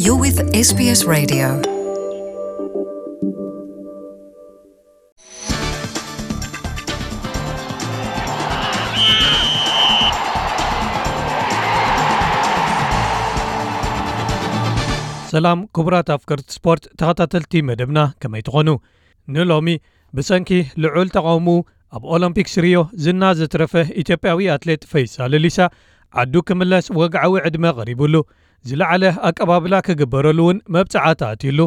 You're with S B S Radio. ሰላም ክቡራት ኣፍቀርቲ ስፖርት ተኸታተልቲ መደብና፣ ከመይ ትኾኑ? ንሎሚ ብሰንኪ ልዑል ተቓውሞ ኣብ ኦሎምፒክስ ሪዮ ዝና ዘትረፈ ኢትዮጵያዊ ኣትሌት ፈይሳ ለሊሳ ዓዱ ክምለስ ወግዓዊ ዕድመ ቀሪቡሉ ዝለዓለ ኣቀባብላ ክግበረሉ እውን መብጽዓ ተኣትዩሉ።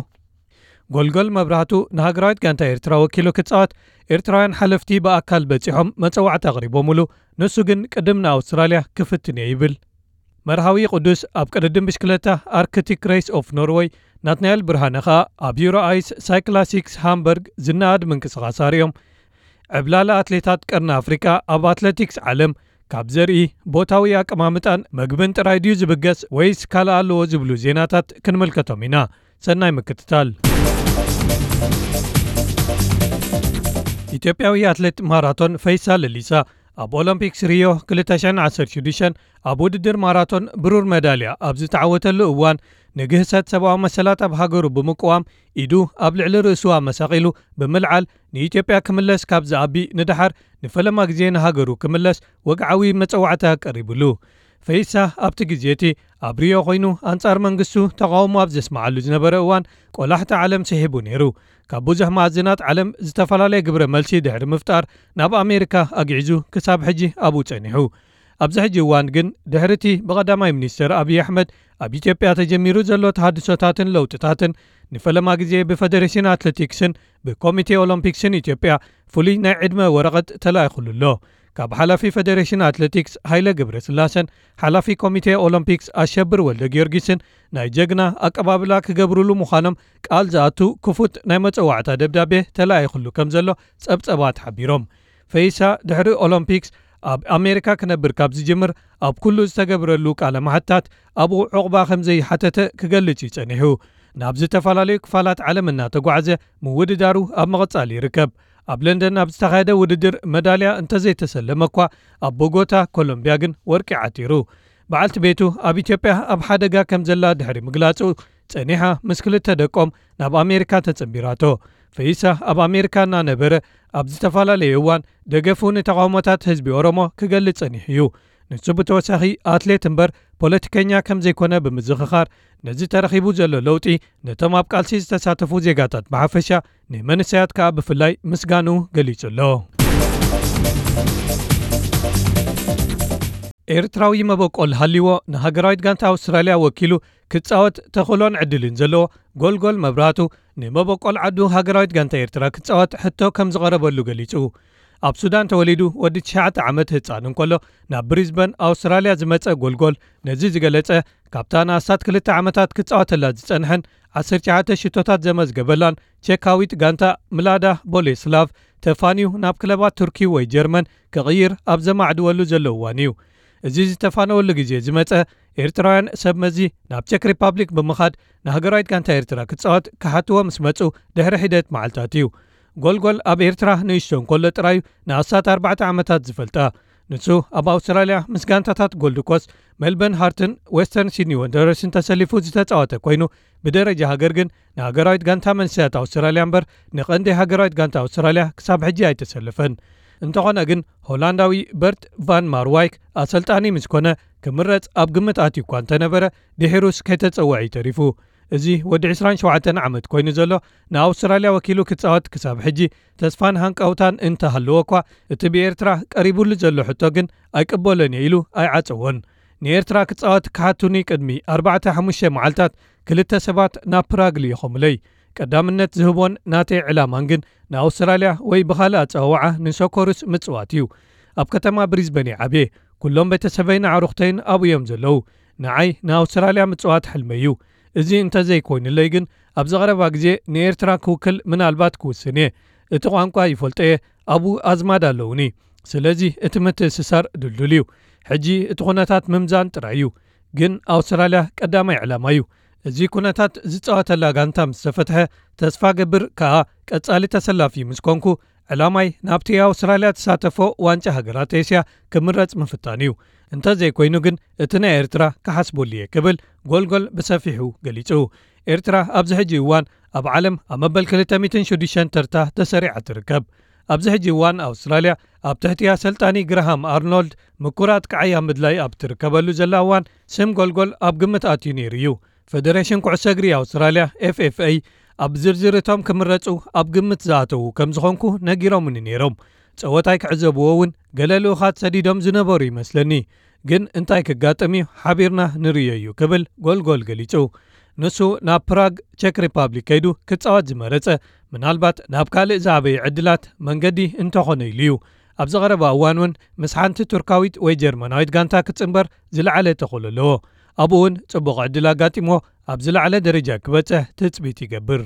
ጎልጎል መብራህቱ ንሃገራዊት ጋንታ ኤርትራ ወኪሉ ክጻወት ኤርትራውያን ሓለፍቲ ብኣካል በጺሖም መጸዋዕታ ኣቕሪቦምሉ። ንሱ ግን ቅድም ንኣውስትራልያ ክፍትን እየ ይብል። መርሃዊ ቅዱስ ኣብ ቅድድም ብሽክለታ ኣርክቲክ ሬስ ኦፍ ኖርወይ፣ ናትናኤል ብርሃነ ኸኣ ኣብ ዩሮ ኣይስ ሳይክላሲክስ ሃምበርግ ዝነኣድ ምንቅስቓስ ኣርእዮም። ዕብላላ ኣትሌታት ቀርኒ ኣፍሪቃ ኣብ ኣትሌቲክስ ዓለም ካብ ዘርኢ ቦታዊ ኣቀማምጣን መግብን ጥራይ ድዩ ዝብገስ ወይስ ካልእ ኣለዎ ዝብሉ ዜናታት ክንምልከቶም ኢና። ሰናይ ምክትታል። ኢትዮጵያዊ ኣትሌት ማራቶን ፈይሳ ለሊሳ ኣብ ኦሎምፒክስ ሪዮ ክልተ ሽሕን ዓሰርተ ሽዱሽተን ኣብ ውድድር ማራቶን ብሩር መዳልያ ኣብ ዝተዓወተሉ እዋን፣ ንግህሰት ሰብኣዊ መሰላት ኣብ ሃገሩ ብምቅዋም ኢዱ ኣብ ልዕሊ ርእሱ ኣመሳቒሉ ብምልዓል ንኢትዮጵያ ክምለስ ካብ ዝኣቢ ንደሓር ንፈለማ ግዜ ንሃገሩ ክምለስ ወግዓዊ መጸዋዕታ ቀሪቡሉ። ፈይሳ ኣብቲ ግዜ እቲ ኣብ ሪዮ ኮይኑ ኣንጻር መንግስቱ ተቓውሞ ኣብ ዘስምዓሉ ዝነበረ እዋን፣ ቆላሕታ ዓለም ስሒቡ ነይሩ። ካብ ብዙሕ መኣዝናት ዓለም ዝተፈላለየ ግብረ መልሲ ድሕሪ ምፍጣር፣ ናብ ኣሜሪካ ኣግዒዙ ክሳብ ሕጂ ኣብኡ ጸኒሑ። ኣብዚ ሕጂ እዋን ግን፣ ድሕሪ እቲ ብቐዳማይ ሚኒስተር ኣብይ ኣሕመድ ኣብ ኢትዮጵያ ተጀሚሩ ዘሎ ተሃድሶታትን ለውጥታትን፣ ንፈለማ ግዜ ብፈደሬሽን ኣትሌቲክስን ብኮሚቴ ኦሎምፒክስን ኢትዮጵያ ፍሉይ ናይ ዕድመ ወረቐት ተላኢኹሉ ኣሎ። ካብ ሓላፊ ፈደሬሽን ኣትሌቲክስ ሃይለ ገብረስላሰን ሓላፊ ኮሚቴ ኦሎምፒክስ ኣሸብር ወልደ ጊዮርጊስን ናይ ጀግና ኣቀባብላ ክገብሩሉ ምዃኖም ቃል ዝኣቱ ክፉት ናይ መጸዋዕታ ደብዳቤ ተላኢኹሉ ከም ዘሎ ጸብጸባት ሓቢሮም። ፈይሳ ድሕሪ ኦሎምፒክስ ኣብ ኣሜሪካ ክነብር ካብ ዝጅምር፣ ኣብ ኩሉ ዝተገብረሉ ቃለ መሓታት ኣብኡ ዑቕባ ከም ዘይሓተተ ክገልጽ እዩ ጸኒሑ። ናብ ዝተፈላለዩ ክፋላት ዓለም እናተጓዕዘ ምውድዳሩ ኣብ ምቕጻል ይርከብ። ኣብ ለንደን ኣብ ዝተኻየደ ውድድር መዳልያ እንተዘይተሰለመ እኳ፣ ኣብ ቦጎታ ኮሎምብያ ግን ወርቂ ዓቲሩ። በዓልቲ ቤቱ ኣብ ኢትዮጵያ ኣብ ሓደጋ ከም ዘላ ድሕሪ ምግላጹ፣ ጸኒሓ ምስ ክልተ ደቆም ናብ ኣሜሪካ ተጸንቢራቶ። ፈይሳ ኣብ ኣሜሪካ እናነበረ ኣብ ዝተፈላለየ እዋን ደገፉ ንተቓውሞታት ህዝቢ ኦሮሞ ክገልጽ ጸኒሑ እዩ። ንሱ ብተወሳኺ ኣትሌት እምበር ፖለቲከኛ ከም ዘይኮነ ብምዝኽኻር፣ ነዚ ተረኺቡ ዘሎ ለውጢ ነቶም ኣብ ቃልሲ ዝተሳተፉ ዜጋታት ብሓፈሻ፣ ንመንእሰያት ከኣ ብፍላይ ምስጋኑ ገሊጹ ኣሎ። ኤርትራዊ መበቆል ሃልይዎ ንሃገራዊት ጋንታ ኣውስትራልያ ወኪሉ ክጻወት ተኽእሎን ዕድልን ዘለዎ ጎልጎል መብራህቱ፣ ንመበቆል ዓዱ ሃገራዊት ጋንታ ኤርትራ ክጻወት ሕቶ ከም ዝቐረበሉ ገሊጹ። ኣብ ሱዳን ተወሊዱ ወዲ ትሽዓተ ዓመት ህጻን እንከሎ፣ ናብ ብሪዝበን ኣውስትራልያ ዝመጸ ጎልጎል፣ ነዚ ዝገለጸ፣ ካብታ ንኣስታት ክልተ ዓመታት ክጻወተላ ዝጸንሐን ዓሰርተ ትሽዓተ ሽቶታት ዘመዝገበላን ቸካዊት ጋንታ ምላዳ ቦሌስላቭ ተፋንዩ ናብ ክለባት ቱርኪ ወይ ጀርመን ክቕይር ኣብ ዘማዕድወሉ ዘሎ እዋን እዩ። እዚ ዝተፋነወሉ ግዜ ዝመጸ፣ ኤርትራውያን ሰብ መዚ ናብ ቸክ ሪፓብሊክ ብምኻድ ንሃገራዊት ጋንታ ኤርትራ ክጻወት ክሓትዎ ምስ መጹ ድሕሪ ሒደት መዓልታት እዩ። ጎልጎል ኣብ ኤርትራ ንእሽቶ እንከሎ ጥራዩ ንኣስታት ኣርባዕተ ዓመታት ዝፈልጣ። ንሱ ኣብ ኣውስትራልያ ምስ ጋንታታት ጎልድ ኮስት፣ ሜልበርን ሃርትን ዌስተርን ሲድኒ ወንደረርስን ተሰሊፉ ዝተጻወተ ኮይኑ፣ ብደረጃ ሃገር ግን ንሃገራዊት ጋንታ መንእሰያት ኣውስትራልያ እምበር ንቐንዲ ሃገራዊት ጋንታ ኣውስትራልያ ክሳብ ሕጂ ኣይተሰለፈን። እንተኾነ ግን፣ ሆላንዳዊ በርት ቫን ማርዋይክ ኣሰልጣኒ ምስ ኮነ፣ ክምረጽ ኣብ ግምት ኣትዩ እኳ እንተነበረ፣ ድሒሩስ ከይተጸውዐ እዩ ተሪፉ። እዚ ወዲ ዕስራን ሸውዓተን ዓመት ኮይኑ ዘሎ፣ ንኣውስትራልያ ወኪሉ ክጻወት ክሳብ ሕጂ ተስፋን ሃንቀውታን እንተሃለዎ እኳ፣ እቲ ብኤርትራ ቀሪቡሉ ዘሎ ሕቶ ግን ኣይቅበሎን እየ ኢሉ ኣይዓጸዎን። ንኤርትራ ክጻወት ክሓቱኒ ቅድሚ ኣርባዕተ ሓሙሽተ መዓልታት ክልተ ሰባት ናብ ፕራግ ልኢኾምለይ። ቀዳምነት ዝህቦን ናተይ ዕላማን ግን ንኣውስትራልያ ወይ ብኻልእ ኣጸዋውዓ ንሶኮሩስ ምጽዋት እዩ። ኣብ ከተማ ብሪዝበን እየ ዓብየ። ኩሎም ቤተሰበይን ኣዕሩኽተይን ኣብኡ እዮም ዘለዉ። ንዓይ ንኣውስትራልያ ምጽዋት ሕልመይ እዩ። እዚ እንተዘይኮይኑለይ ግን ኣብዚ ቀረባ ግዜ ንኤርትራ ክውክል ምናልባት ክውስን እየ። እቲ ቋንቋ ይፈልጦ እየ፣ ኣብኡ ኣዝማድ ኣለዉኒ። ስለዚ እቲ ምትእስሳር ድልዱል እዩ። ሕጂ እቲ ኩነታት ምምዛን ጥራይ እዩ። ግን ኣውስትራልያ ቀዳማይ ዕላማ እዩ። እዚ ኩነታት ዝጻወተላ ጋንታ ምስ ተፈትሐ፣ ተስፋ ገብር ከኣ ቀጻሊ ተሰላፊ ምስ ኮንኩ፣ ዕላማይ ናብቲ ኣውስትራልያ ትሳተፎ ዋንጫ ሃገራት ኤስያ ክምረጽ ምፍታን እዩ። እንተዘይኮይኑ ግን እቲ ናይ ኤርትራ ክሓስበሉ እየ ክብል ጎልጎል ብሰፊሑ ገሊጹ። ኤርትራ ኣብዚ ሕጂ እዋን ኣብ ዓለም ኣብ መበል ክልተ ሚእትን ሽዱሽተን ተርታ ተሰሪዓ ትርከብ። ኣብዚ ሕጂ እዋን ኣውስትራልያ ኣብ ትሕቲ ኣሰልጣኒ ግራሃም ኣርኖልድ ምኩራት ክዓይ ኣብ ምድላይ ኣብ ትርከበሉ ዘላ እዋን ስም ጎልጎል ኣብ ግምት ኣትዩ ነይሩ እዩ። ፈደሬሽን ኩዕሶ እግሪ ኣውስትራልያ ኤፍ ኤፍ ኤ ኣብ ዝርዝር እቶም ክምረጹ ኣብ ግምት ዝኣተዉ ከም ዝኾንኩ ነጊሮምኒ ነይሮም። ጸወታይ ክዕዘብዎ እውን ገለ ልኡኻት ሰዲዶም ዝነበሩ ይመስለኒ። ግን እንታይ ክጋጥም እዩ ሓቢርና ንርእዮ እዩ ክብል ጎልጎል ገሊጹ። ንሱ ናብ ፕራግ ቸክ ሪፓብሊክ ከይዱ ክጻወት ዝመረጸ ምናልባት ናብ ካልእ ዝዓበየ ዕድላት መንገዲ እንተኾነ ኢሉ እዩ። ኣብዚ ቀረባ እዋን እውን ምስ ሓንቲ ቱርካዊት ወይ ጀርመናዊት ጋንታ ክጽንበር ዝለዓለ ተኽእሎ ኣለዎ። ኣብኡ እውን ጽቡቕ ዕድል ኣጋጢምዎ ኣብ ዝለዓለ ደረጃ ክበጽሕ ትጽቢት ይገብር።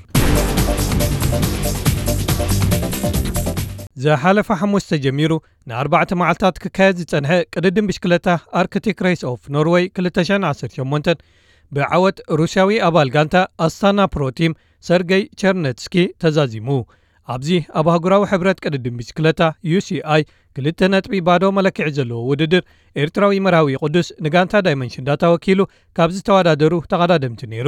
ዝሓለፈ ሓሙስ ተጀሚሩ ንኣርባዕተ መዓልታት ክካየድ ዝጸንሐ ቅድድም ብሽክለታ ኣርክቲክ ሬስ ኦፍ ኖርወይ ክልተ ሽሕን ዓሰርተ ሸሞንተን ብዓወት ሩስያዊ ኣባል ጋንታ ኣስታና ፕሮ ቲም ሰርገይ ቸርነትስኪ ተዛዚሙ። ኣብዚ ኣብ ኣህጉራዊ ሕብረት ቅድድም ብሽክለታ ዩ ሲ ኣይ ክልተ ነጥቢ ባዶ መለክዒ ዘለዎ ውድድር ኤርትራዊ መርሃዊ ቅዱስ ንጋንታ ዳይመንሽን ዳታ ወኪሉ ካብ ዝተወዳደሩ ተቐዳደምቲ ነይሩ።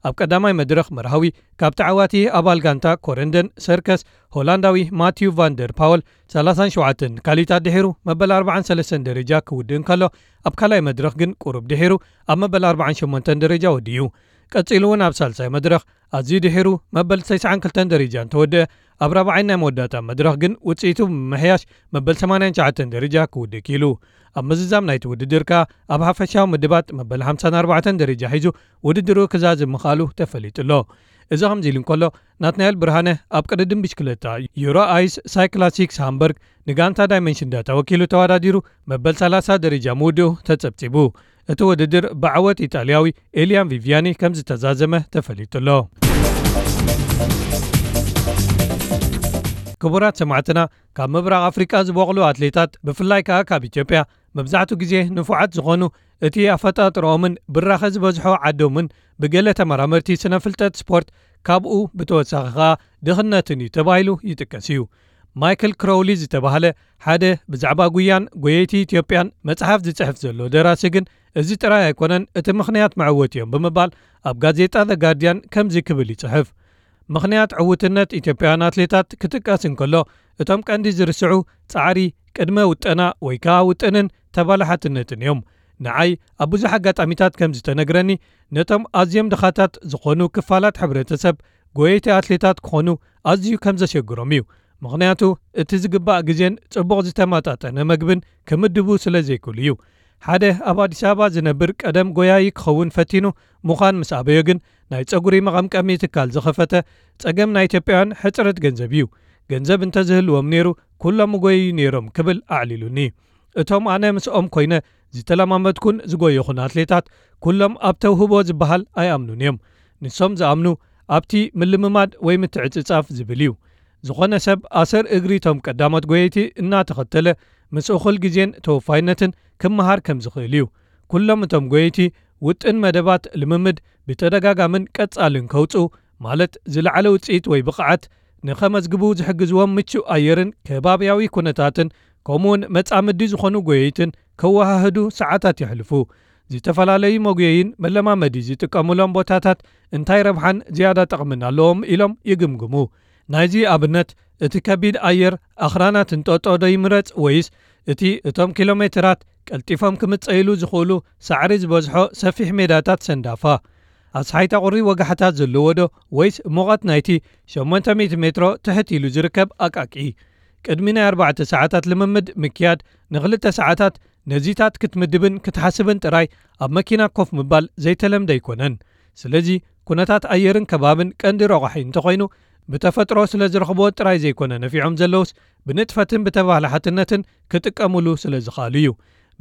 ኣብ ቀዳማይ መድረኽ መርሃዊ ካብ ተዓዋቲ ኣባል ጋንታ ኮረንደን ሰርከስ ሆላንዳዊ ማቲዩ ቫንደር ፓወል ሰላሳን ሸውዓተን ካሊታት ድሒሩ መበል ኣርባዓን ሰለስተን ደረጃ ክውድእ እንከሎ፣ ኣብ ካልኣይ መድረኽ ግን ቁሩብ ድሒሩ ኣብ መበል ኣርባዓን ሸሞንተን ደረጃ ወዲኡ። ቀጺሉ እውን ኣብ ሳልሳይ መድረኽ ኣዝዩ ድሒሩ መበል ተስዓን ክልተን ደረጃ እንተወደአ፣ ኣብ ራብዓይ ናይ መወዳእታ መድረኽ ግን ውጽኢቱ ብምምሕያሽ መበል ሰማንያን ትሽዓተን ደረጃ ክውድእ ክኢሉ። ኣብ ምዝዛም ናይቲ ውድድር ከኣ ኣብ ሓፈሻዊ ምድባት መበል ሓምሳን ኣርባዕተን ደረጃ ሒዙ ውድድሩ ክዛዝም ምኽኣሉ ተፈሊጡ ኣሎ። እዚ ከምዚ ኢሉ እንከሎ፣ ናትናኤል ብርሃነ ኣብ ቅድድም ብሽክለታ ዩሮ ኣይስ ሳይክላሲክስ ሃምበርግ ንጋንታ ዳይመንሽን ዳታ ወኪሉ ተወዳዲሩ መበል ሰላሳ ደረጃ ምውድኡ ተጸብጺቡ። እቲ ውድድር ብዓወት ኢጣልያዊ ኤልያን ቪቪያኒ ከም ዝተዛዘመ ተፈሊጡ ኣሎ። ክቡራት ሰማዕትና፣ ካብ ምብራቕ ኣፍሪቃ ዝበቕሉ ኣትሌታት፣ ብፍላይ ከኣ ካብ ኢትዮጵያ፣ መብዛሕትኡ ግዜ ንፉዓት ዝኾኑ፣ እቲ ኣፈጣጥርኦምን ብራኸ ዝበዝሖ ዓዶምን ብገለ ተመራመርቲ ስነ ፍልጠት ስፖርት ካብኡ ብተወሳኺ ከኣ ድኽነትን እዩ ተባሂሉ ይጥቀስ እዩ። ማይክል ክሮውሊ ዝተባህለ ሓደ ብዛዕባ ጉያን ጎየይቲ ኢትዮጵያን መጽሓፍ ዝጽሕፍ ዘሎ ደራሲ ግን፣ እዚ ጥራይ ኣይኮነን እቲ ምኽንያት መዕወቲ እዮም ብምባል ኣብ ጋዜጣ ዘ ጋርዲያን ከምዚ ክብል ይጽሕፍ። ምኽንያት ዕውትነት ኢትዮጵያውያን ኣትሌታት ክጥቀስ እንከሎ፣ እቶም ቀንዲ ዝርስዑ ጻዕሪ፣ ቅድመ ውጠና ወይ ከኣ ውጥንን ተባላሓትነትን እዮም። ንዓይ ኣብ ብዙሕ ኣጋጣሚታት ከም ዝተነግረኒ፣ ነቶም ኣዝዮም ድኻታት ዝኾኑ ክፋላት ሕብረተሰብ ጎየይቲ ኣትሌታት ክኾኑ ኣዝዩ ከም ዘሸግሮም እዩ። ምኽንያቱ እቲ ዝግባእ ግዜን ጽቡቕ ዝተመጣጠነ መግብን ክምድቡ ስለ ዘይክእሉ እዩ። ሓደ ኣብ ኣዲስ ኣበባ ዝነብር ቀደም ጎያዪ ክኸውን ፈቲኑ ምዃን ምስ ኣበዮ ግን፣ ናይ ጸጉሪ መቐምቀሚ ትካል ዝኸፈተ ጸገም ናይ ኢትዮጵያውያን ሕጽረት ገንዘብ እዩ። ገንዘብ እንተዝህልዎም ነይሩ፣ ኩሎም ምጎየዩ ነይሮም ክብል ኣዕሊሉኒ። እቶም ኣነ ምስኦም ኮይነ ዝተለማመድኩን ዝጎየኹን ኣትሌታት፣ ኩሎም ኣብ ተውህቦ ዝበሃል ኣይኣምኑን እዮም። ንሶም ዝኣምኑ ኣብቲ ምልምማድ ወይ ምትዕጽጻፍ ዝብል እዩ። ዝኾነ ሰብ ኣሰር እግሪ እቶም ቀዳሞት ጎየይቲ እናተኸተለ፣ ምስ እኹል ግዜን ተወፋይነትን ክመሃር ከም ዝኽእል እዩ። ኩሎም እቶም ጎየይቲ ውጥን መደባት ልምምድ ብተደጋጋምን ቀጻልን ከውጽኡ፣ ማለት ዝለዓለ ውጽኢት ወይ ብቕዓት ንኸመዝግቡ ዝሕግዝዎም ምቹእ ኣየርን ከባብያዊ ኩነታትን፣ ከምኡውን መጻምዲ ዝኾኑ ጎየይትን ከወሃህዱ ሰዓታት የሕልፉ። ዝተፈላለዩ መጉየይን መለማመዲ ዝጥቀሙሎም ቦታታት እንታይ ረብሓን ዝያዳ ጠቕምን ኣለዎም ኢሎም ይግምግሙ። ናይዚ ኣብነት፣ እቲ ከቢድ ኣየር ኣኽራናት እንጦጦ ዶ ይምረጽ፣ ወይስ እቲ እቶም ኪሎ ሜትራት ቀልጢፎም ክምጸይሉ ዝኽእሉ ሳዕሪ ዝበዝሖ ሰፊሕ ሜዳታት ሰንዳፋ? ኣስሓይታ ቁሪ ወጋሕታ ዘለዎ ዶ፣ ወይስ ሙቐት ናይቲ ሸሞንተ ሚእቲ ሜትሮ ትሕት ኢሉ ዝርከብ ኣቃቂ? ቅድሚ ናይ ኣርባዕተ ሰዓታት ልምምድ ምክያድ፣ ንኽልተ ሰዓታት ነዚታት ክትምድብን ክትሓስብን ጥራይ ኣብ መኪና ኮፍ ምባል ዘይተለምደ ኣይኮነን። ስለዚ፣ ኩነታት ኣየርን ከባብን ቀንዲ ረቋሒ እንተኾይኑ፣ ብተፈጥሮ ስለ ዝረኽብዎ ጥራይ ዘይኮነ ነፊዖም ዘለውስ፣ ብንጥፈትን ብተባላሓትነትን ክጥቀሙሉ ስለ ዝኽኣሉ እዩ።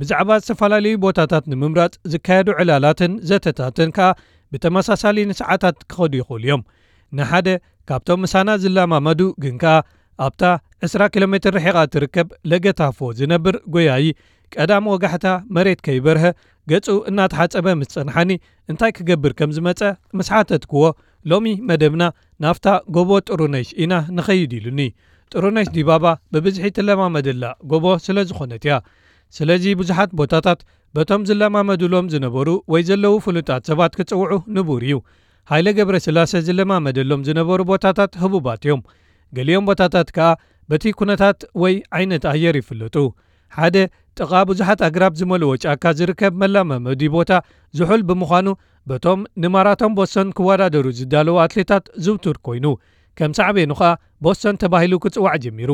ብዛዕባ ዝተፈላለዩ ቦታታት ንምምራጽ ዝካየዱ ዕላላትን ዘተታትን ከኣ ብተመሳሳሊ ንሰዓታት ክኸዱ ይኽእሉ እዮም። ንሓደ ካብቶም ምሳና ዝለማመዱ ግን ከኣ ኣብታ ዕስራ ኪሎ ሜትር ርሒቓ እትርከብ ለገታፎ ዝነብር ጎያዪ፣ ቀዳም ወጋሕታ መሬት ከይበርሀ ገጹ እናተሓጸበ ምስ ጸንሓኒ፣ እንታይ ክገብር ከም ዝመጸ ምስ ሓተትክዎ፣ ሎሚ መደብና ናብታ ጎቦ ጥሩነሽ ኢና ንኸይድ ኢሉኒ። ጥሩነሽ ዲባባ ብብዝሒ ትለማመደላ ጎቦ ስለ ዝኾነት እያ። ስለዚ ብዙሓት ቦታታት በቶም ዝለማመዱሎም ዝነበሩ ወይ ዘለዉ ፍሉጣት ሰባት ክጽውዑ ንቡር እዩ። ሃይለ ገብረስላሰ ዝለማመደሎም ዝነበሩ ቦታታት ህቡባት እዮም። ገሊኦም ቦታታት ከኣ በቲ ኩነታት ወይ ዓይነት ኣየር ይፍለጡ። ሓደ ጥቓ ብዙሓት ኣግራብ ዝመልኦ ጫካ ዝርከብ መለማመዲ ቦታ ዝሑል ብምዃኑ በቶም ንማራቶን ቦስቶን ክወዳደሩ ዝዳለዉ ኣትሌታት ዝውቱር ኮይኑ፣ ከም ሳዕቤኑ ኸኣ ቦስቶን ተባሂሉ ክጽዋዕ ጀሚሩ።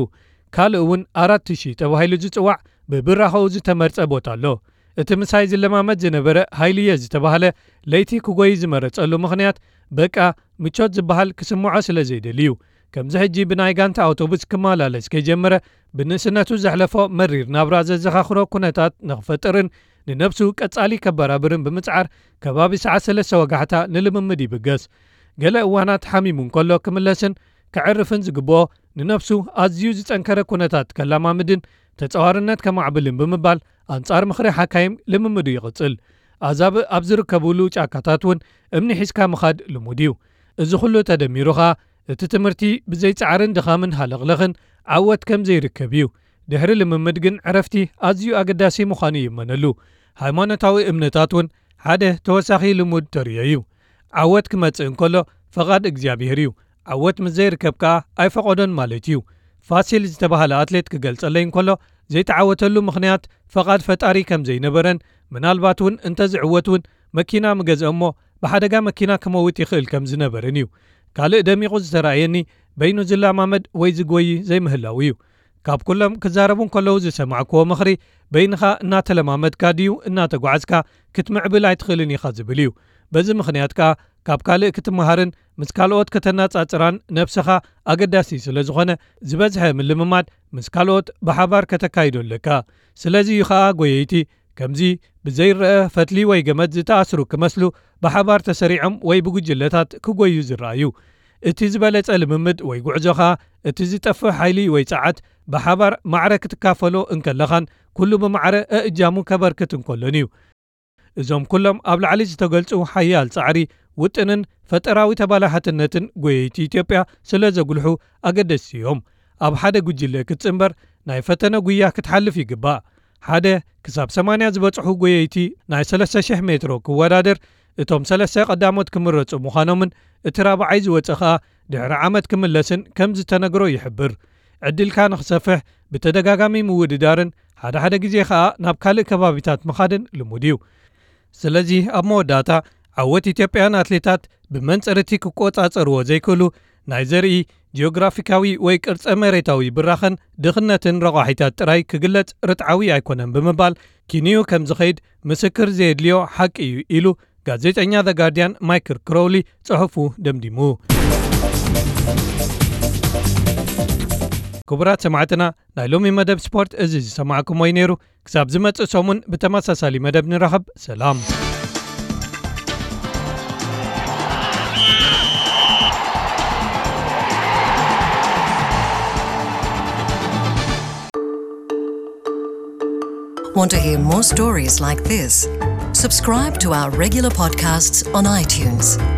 ካልእ እውን ኣራት ሺህ ተባሂሉ ዝጽዋዕ ብብራኸኡ ዝተመርጸ ቦታ ኣሎ። እቲ ምሳይ ዝለማመድ ዝነበረ ሃይልየ ዝተባህለ ለይቲ ክጎይ ዝመረጸሉ ምኽንያት በቃ ምቾት ዝበሃል ክስምዖ ስለ ዘይደሊ እዩ። ከምዚ ሕጂ ብናይ ጋንታ ኣውቶቡስ ክመላለስ ከይጀመረ ብንእስነቱ ዘሕለፎ መሪር ናብራ ዘዘኻኽሮ ኩነታት ንኽፈጥርን ንነብሱ ቀጻሊ ከበራብርን ብምጽዓር ከባቢ ሰዓት ሰለስተ ወጋሕታ ንልምምድ ይብገስ። ገለ እዋናት ሓሚሙ እንከሎ ክምለስን ከዕርፍን ዝግብኦ ንነብሱ ኣዝዩ ዝጸንከረ ኩነታት ከላማምድን ተጻዋርነት ከማዕብልን ብምባል ኣንጻር ምኽሪ ሓካይም ልምምዱ ይቕጽል። ኣዛብእ ኣብ ዝርከብሉ ጫካታት እውን እምኒ ሒዝካ ምኻድ ልሙድ እዩ። እዚ ኩሉ ተደሚሩ ኸኣ እቲ ትምህርቲ ብዘይ ጻዕርን ድኻምን ሃለኽለኽን ዓወት ከም ዘይርከብ እዩ። ድሕሪ ልምምድ ግን ዕረፍቲ ኣዝዩ ኣገዳሲ ምዃኑ ይእመነሉ። ሃይማኖታዊ እምነታት እውን ሓደ ተወሳኺ ልሙድ ተርእዮ እዩ። ዓወት ክመጽእ እንከሎ ፈቓድ እግዚኣብሔር እዩ። ዓወት ምስ ዘይርከብ ከኣ ኣይፈቐዶን ማለት እዩ። ፋሲል ዝተባህለ ኣትሌት ክገልጸለይ እንከሎ ዘይተዓወተሉ ምኽንያት ፈቓድ ፈጣሪ ከም ዘይነበረን ምናልባት እውን እንተዝዕወት እውን መኪና ምገዝአ እሞ ብሓደጋ መኪና ክመውት ይኽእል ከም ዝነበርን እዩ። ካልእ ደሚቑ ዝተራእየኒ በይኑ ዝለማመድ ወይ ዝጎዪ ዘይምህላው እዩ። ካብ ኩሎም ክዛረቡ እንከለዉ ዝሰማዕክዎ ምኽሪ በይንኻ እናተለማመድካ ድዩ እናተጓዓዝካ ክትምዕብል ኣይትኽእልን ኢኻ ዝብል እዩ። በዚ ምኽንያት ከኣ ካብ ካልእ ክትመሃርን ምስ ካልኦት ከተነጻጽራን ነብስኻ ኣገዳሲ ስለ ዝኾነ ዝበዝሐ ምልምማድ ምስ ካልኦት ብሓባር ከተካይዶ ኣለካ። ስለዚ እዩ ኸኣ ጎየይቲ ከምዚ ብዘይረአ ፈትሊ ወይ ገመድ ዝተኣስሩ ክመስሉ ብሓባር ተሰሪዖም ወይ ብጉጅለታት ክጎዩ ዝረኣዩ። እቲ ዝበለጸ ልምምድ ወይ ጉዕዞ ኸኣ እቲ ዝጠፍእ ሓይሊ ወይ ጸዓት ብሓባር ማዕረ ክትካፈሎ እንከለኻን ኩሉ ብማዕረ እእጃሙ ከበርክት እንከሎን እዩ። እዞም ኩሎም ኣብ ላዕሊ ዝተገልጹ ሓያል ጻዕሪ፣ ውጥንን ፈጠራዊ ተባላሓትነትን ጎየይቲ ኢትዮጵያ ስለ ዘጉልሑ ኣገደስቲ እዮም። ኣብ ሓደ ጉጅለ ክትጽንበር ናይ ፈተነ ጉያ ክትሓልፍ ይግባእ። ሓደ ክሳብ ሰማንያ ዝበጽሑ ጎየይቲ ናይ ሰለስተ ሽሕ ሜትሮ ክወዳደር እቶም ሰለስተ ቀዳሞት ክምረጹ ምዃኖምን እቲ ራብዓይ ዝወጸ ኸኣ ድሕሪ ዓመት ክምለስን ከም ዝተነግሮ ይሕብር። ዕድልካ ንኽሰፍሕ ብተደጋጋሚ ምውድዳርን ሓደ ሓደ ግዜ ኸኣ ናብ ካልእ ከባቢታት ምኻድን ልሙድ እዩ። ስለዚ ኣብ መወዳእታ ዓወት ኢትዮጵያን ኣትሌታት ብመንጽር እቲ ክቆጻጸርዎ ዘይክእሉ ናይ ዘርኢ ጂኦግራፊካዊ ወይ ቅርጸ መሬታዊ ብራኸን ድኽነትን ረቋሒታት ጥራይ ክግለጽ ርትዓዊ ኣይኮነን ብምባል ኪንዩ ከም ዝኸይድ ምስክር ዘየድልዮ ሓቂ እዩ ኢሉ ጋዜጠኛ ዘ ጋርዲያን ማይክል ክሮውሊ ጽሑፉ ደምዲሙ። ክቡራት ሰማዕትና ናይ ሎሚ መደብ ስፖርት እዚ ዝሰማዕኩሞ እዩ ነይሩ። ክሳብ ዝመጽእ ሰሙን ብተመሳሳሊ መደብ ንራኸብ። ሰላም። Want to hear more stories like this? Subscribe to our regular podcasts on iTunes.